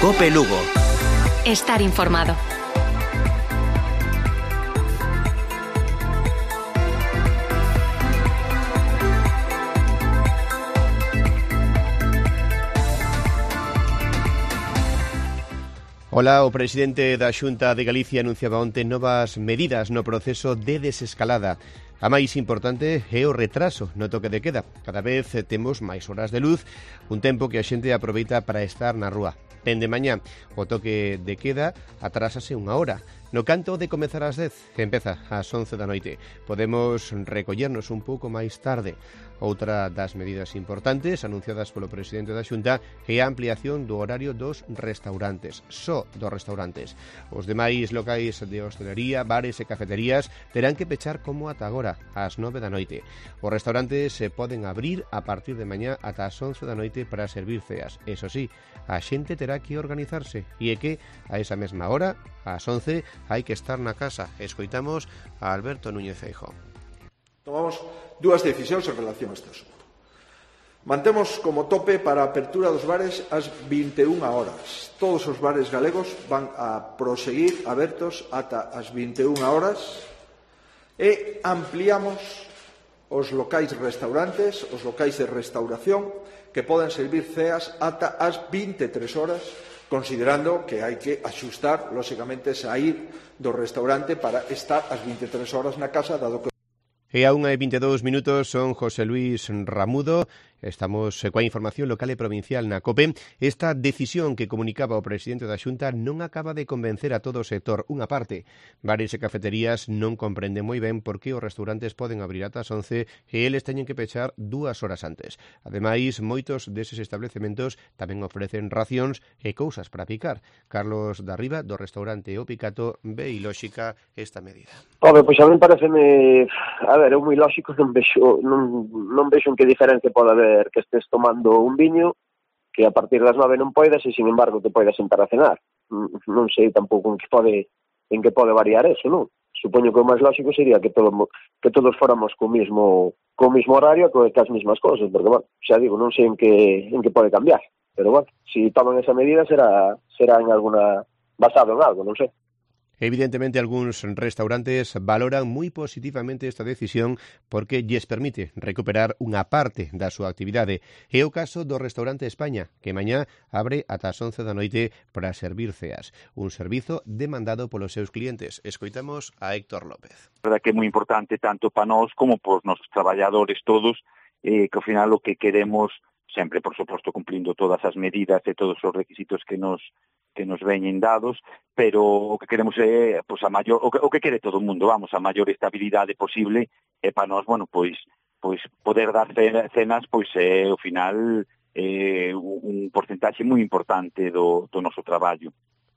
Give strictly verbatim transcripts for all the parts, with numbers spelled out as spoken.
COPE Lugo. Estar informado. Ola, o presidente da Xunta de Galicia anunciaba onte novas medidas no proceso de desescalada. A máis importante é o retraso no toque de queda. Cada vez temos máis horas de luz, un tempo que a xente aproveita para estar na rúa. Dende mañá, o toque de queda atrásase unha hora. No canto de comezar ás dez, empeza ás once da noite. Podemos recollernos un pouco máis tarde. Outra das medidas importantes anunciadas polo presidente da Xunta é a ampliación do horario dos restaurantes, só dos restaurantes. Os demais locais de hostelería, bares e cafeterías terán que pechar como ata agora, ás nove da noite. Os restaurantes se poden abrir a partir de mañá ata as once da noite para servir ceas. Eso sí, a xente terá que organizarse e é que a esa mesma hora, ás once, hai que estar na casa. Escoitamos a Alberto Núñez Feijóo. Tomamos dúas decisións en relación a este asunto. Mantemos como tope para a apertura dos bares as vinte e unha horas. Todos os bares galegos van a proseguir abertos ata as vinte e unha horas e ampliamos os locais restaurantes, os locais de restauración que poden servir ceas ata as vinte e tres horas, considerando que hai que axustar, lóxicamente, sair do restaurante para estar as vinte e tres horas na casa, dado que E a unha e vinte e dous minutos son José Luis Ramudo. Estamos coa información local e provincial na COPE. Esta decisión que comunicaba o presidente da Xunta non acaba de convencer a todo o sector. Unha parte, bares e cafeterías non comprenden moi ben por que os restaurantes poden abrir ata as once e eles teñen que pechar dúas horas antes. Ademais, moitos deses establecementos tamén ofrecen racións e cousas para picar. Carlos Darriba, do restaurante O Picato, ve ilóxica esta medida. Home, pois a mí pareceme, a ver, é moi lóxico, non vexo, non, non vexo en que diferencia pode haber que estés tomando un viño que a partir das nove non poidas e, sin embargo, te poidas sentar a cenar. Non sei tampouco en que pode en que pode variar eso, non? Supoño que o máis lógico sería que todo, que todos fóramos co mismo co mismo horario, co as mesmas cousas, porque, bueno, xa digo, non sei en que en que pode cambiar, pero, bueno, se si toman esa medida será será en alguna basado en algo, non sei. Evidentemente, algúns restaurantes valoran moi positivamente esta decisión porque lles permite recuperar unha parte da súa actividade. É o caso do restaurante España, que mañá abre ata as once da noite para servir ceas. Un servizo demandado polos seus clientes. Escoitamos a Héctor López. A verdade que é moi importante tanto para nós como para os nosos traballadores todos, eh, que ao final o que queremos, sempre, por suposto, cumplindo todas as medidas e todos os requisitos que nos que nos veñen dados, pero o que queremos é, pois, a maior, o que, o que quere todo o mundo, vamos, a maior estabilidade posible, e para nós, bueno, pois, pois poder dar cenas, pois é, ao final, é un porcentaxe moi importante do, do noso traballo.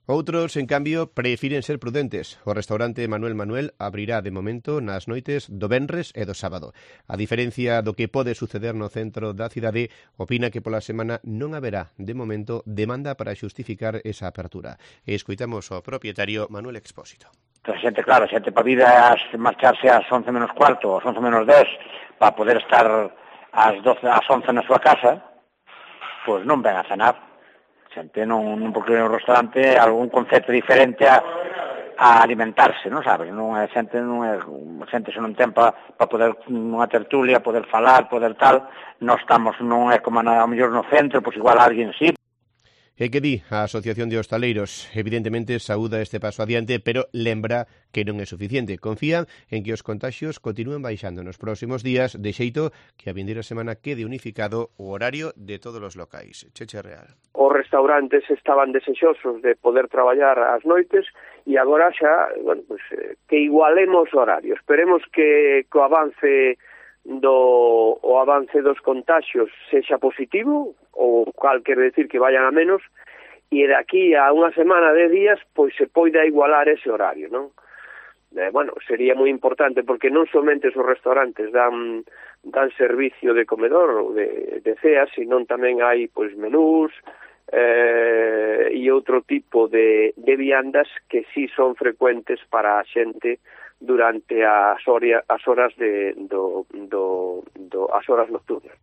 Outros, en cambio, prefiren ser prudentes. O restaurante Manuel Manuel abrirá de momento nas noites do venres e do sábado. A diferencia do que pode suceder no centro da cidade, opina que pola semana non haberá, de momento, demanda para xustificar esa apertura. E escoitamos ao propietario Manuel Expósito. A xente, claro, a xente para vir a marcharse ás once menos cuarto, ás once menos dez, para poder estar ás doce, ás once na súa casa, pois non ven a cenar. Xente non, non porque no restaurante é algún concepto diferente a, a alimentarse, non sabes? Non é xente, non é xente se non ten para pa poder unha tertulia, poder falar, poder tal, non estamos, non é como na, a mellor no centro, pois igual alguén sí. E que di a Asociación de Hostaleiros? Evidentemente saúda este paso adiante, pero lembra que non é suficiente. Confía en que os contaxios continúen baixando nos próximos días, de xeito que a vindeira semana quede unificado o horario de todos os locais. Cheche Real. Os restaurantes estaban desexosos de poder traballar ás noites e agora xa, bueno, pues, que igualemos o horario. Esperemos que co avance do o avance dos contaxios sexa positivo, ou cal quer decir que vayan a menos, e de aquí a unha semana de días pois se poida igualar ese horario, non? Eh, bueno, sería moi importante porque non somente os restaurantes dan dan servicio de comedor ou de, de ceas, sino tamén hai pois menús eh, e outro tipo de, de viandas que sí son frecuentes para a xente durante as, oria, as horas de do, do, do as horas nocturnas.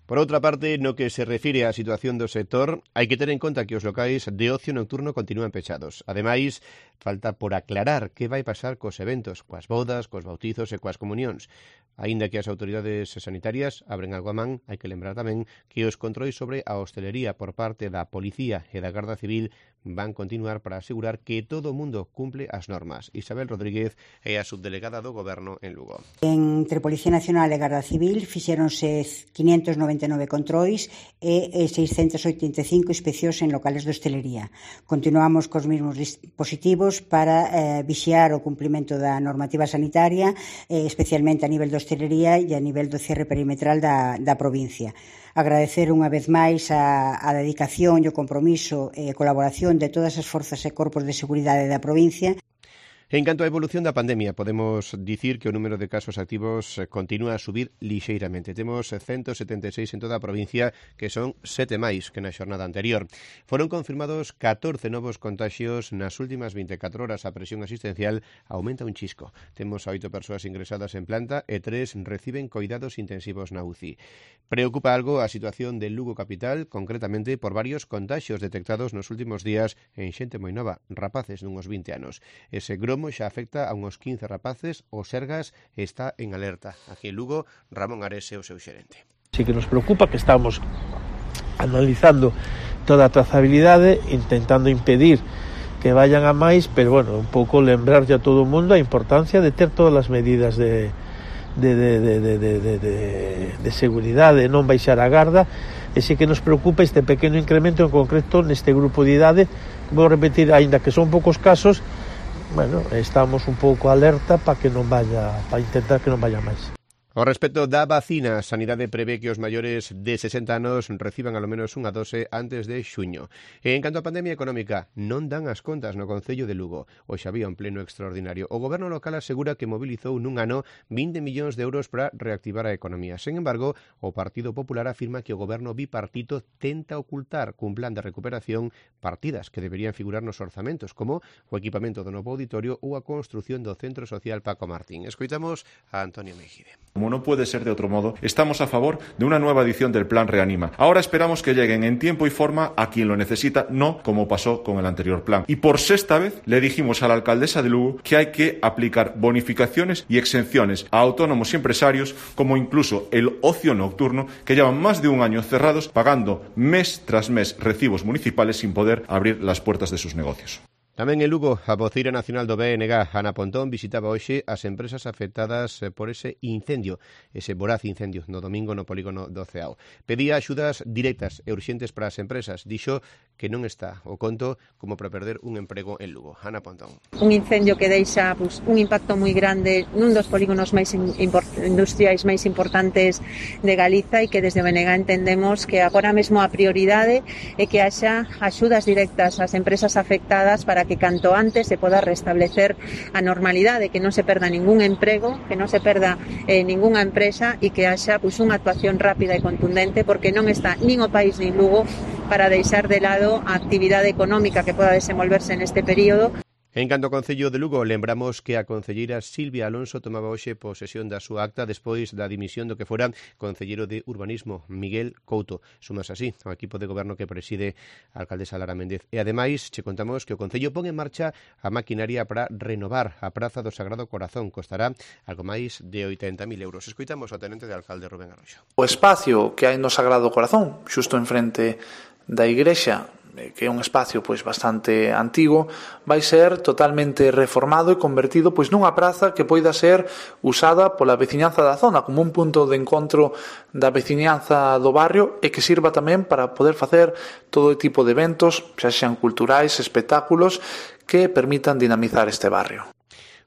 Por outra parte, no que se refire á situación do sector, hai que ter en conta que os locais de ocio nocturno continúan pechados. Ademais, falta por aclarar que vai pasar cos eventos, coas bodas, cos bautizos e coas comunións. Aínda que as autoridades sanitarias abren algo a man, hai que lembrar tamén que os controis sobre a hostelería por parte da Policía e da Garda Civil van continuar para asegurar que todo o mundo cumple as normas. Isabel Rodríguez é a subdelegada do Goberno en Lugo. Entre Policía Nacional e Garda Civil fixéronse quinientos noventa e nove controis e seiscentos oitenta e cinco inspeccións en locales de hostelería. Continuamos cos mesmos dispositivos para eh, vixiar o cumprimento da normativa sanitaria, eh, especialmente a nivel de hostelería e a nivel do cierre perimetral da, da provincia. Agradecer unha vez máis a, a dedicación e o compromiso e colaboración de todas as forzas e corpos de seguridade da provincia. En canto á evolución da pandemia, podemos dicir que o número de casos activos continúa a subir lixeiramente. Temos ciento setenta e seis en toda a provincia, que son sete máis que na xornada anterior. Foron confirmados catorce novos contaxios nas últimas vinte e catro horas. A presión asistencial aumenta un chisco. Temos a oito persoas ingresadas en planta e tres reciben coidados intensivos na U C I. Preocupa algo a situación de Lugo capital, concretamente por varios contaxios detectados nos últimos días en xente moi nova, rapaces dunhos vinte anos. Ese gromo xa afecta a uns quince rapaces, o Sergas está en alerta. Aquí en Lugo, Ramón Ares é o seu xerente. Sí que nos preocupa que estamos analizando toda a trazabilidade, intentando impedir que vayan a máis, pero bueno, un pouco lembrarlle a todo o mundo a importancia de ter todas as medidas de De, de, de, de, de, de, de seguridade, non baixar a garda, e sí que nos preocupa este pequeno incremento en concreto neste grupo de idade. Vou repetir, aínda que son poucos casos, bueno, estamos un pouco alerta para que non vaya, para intentar que non vaya máis. Ao respecto da vacina, a Sanidade prevé que os maiores de sesenta anos reciban alo menos unha dose antes de xuño. E en canto á pandemia económica, non dan as contas no Concello de Lugo. Hoxe había un pleno extraordinario. O Goberno local asegura que mobilizou nun ano vinte millóns de euros para reactivar a economía. Sen embargo, o Partido Popular afirma que o Goberno bipartito tenta ocultar cun plan de recuperación partidas que deberían figurar nos orzamentos, como o equipamento do novo auditorio ou a construción do Centro Social Paco Martín. Escoitamos a Antonio Mejide. Como no puede ser de otro modo, estamos a favor de una nueva edición del Plan Reanima. Ahora esperamos que lleguen en tiempo y forma a quien lo necesita, no como pasó con el anterior plan. Y por sexta vez le dijimos a la alcaldesa de Lugo que hay que aplicar bonificaciones y exenciones a autónomos y empresarios, como incluso el ocio nocturno, que llevan más de un año cerrados, pagando mes tras mes recibos municipales sin poder abrir las puertas de sus negocios. Tamén en Lugo, a voceira nacional do B N G, Ana Pontón, visitaba hoxe as empresas afectadas por ese incendio, ese voraz incendio no domingo no polígono do Ceao. Pedía axudas directas e urxentes para as empresas. Dixo que non está o conto como para perder un emprego en Lugo. Ana Pontón. Un incendio que deixa pues, un impacto moi grande nun dos polígonos máis industriais máis importantes de Galiza e que desde o B N G entendemos que agora mesmo a prioridade é que haxa axudas directas ás empresas afectadas para que canto antes se poda restablecer a normalidade, que non se perda ningún emprego, que non se perda eh, ningunha empresa e que haxa pues, unha actuación rápida e contundente, porque non está nin o país nin Lugo para deixar de lado a actividade económica que poda desenvolverse neste período. En canto ao Concello de Lugo, lembramos que a concelleira Silvia Alonso tomaba hoxe posesión da súa acta despois da dimisión do que fora concelleiro de Urbanismo, Miguel Couto. Sumas así ao equipo de goberno que preside a alcaldesa Lara Méndez. E ademais, che contamos que o Concello pon en marcha a maquinaria para renovar a Praza do Sagrado Corazón. Costará algo máis de oitenta mil euros. Escoitamos ao tenente de alcalde Rubén Arroxo. O espacio que hai no Sagrado Corazón, xusto enfrente da igrexa, que é un espacio pois bastante antigo, vai ser totalmente reformado e convertido pois nunha praza que poida ser usada pola veciñanza da zona como un punto de encontro da veciñanza do barrio e que sirva tamén para poder facer todo tipo de eventos, xa xean culturais, espectáculos que permitan dinamizar este barrio.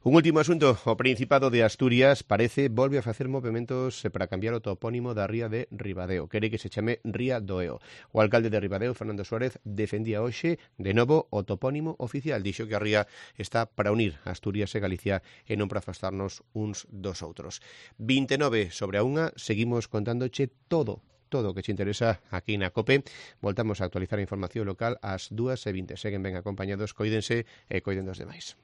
Un último asunto, o Principado de Asturias parece volve a facer movementos para cambiar o topónimo da ría de Ribadeo. Quere que se chame Ría do Eo. O alcalde de Ribadeo, Fernando Suárez, defendía hoxe de novo o topónimo oficial. Dixo que a ría está para unir Asturias e Galicia e non para afastarnos uns dos outros. vinte e nove sobre a unha, seguimos contándoche todo. todo o que te interesa aquí na COPE. Voltamos a actualizar a información local ás dúas e vinte. Seguen ben acompañados, coídense e coiden dos demais.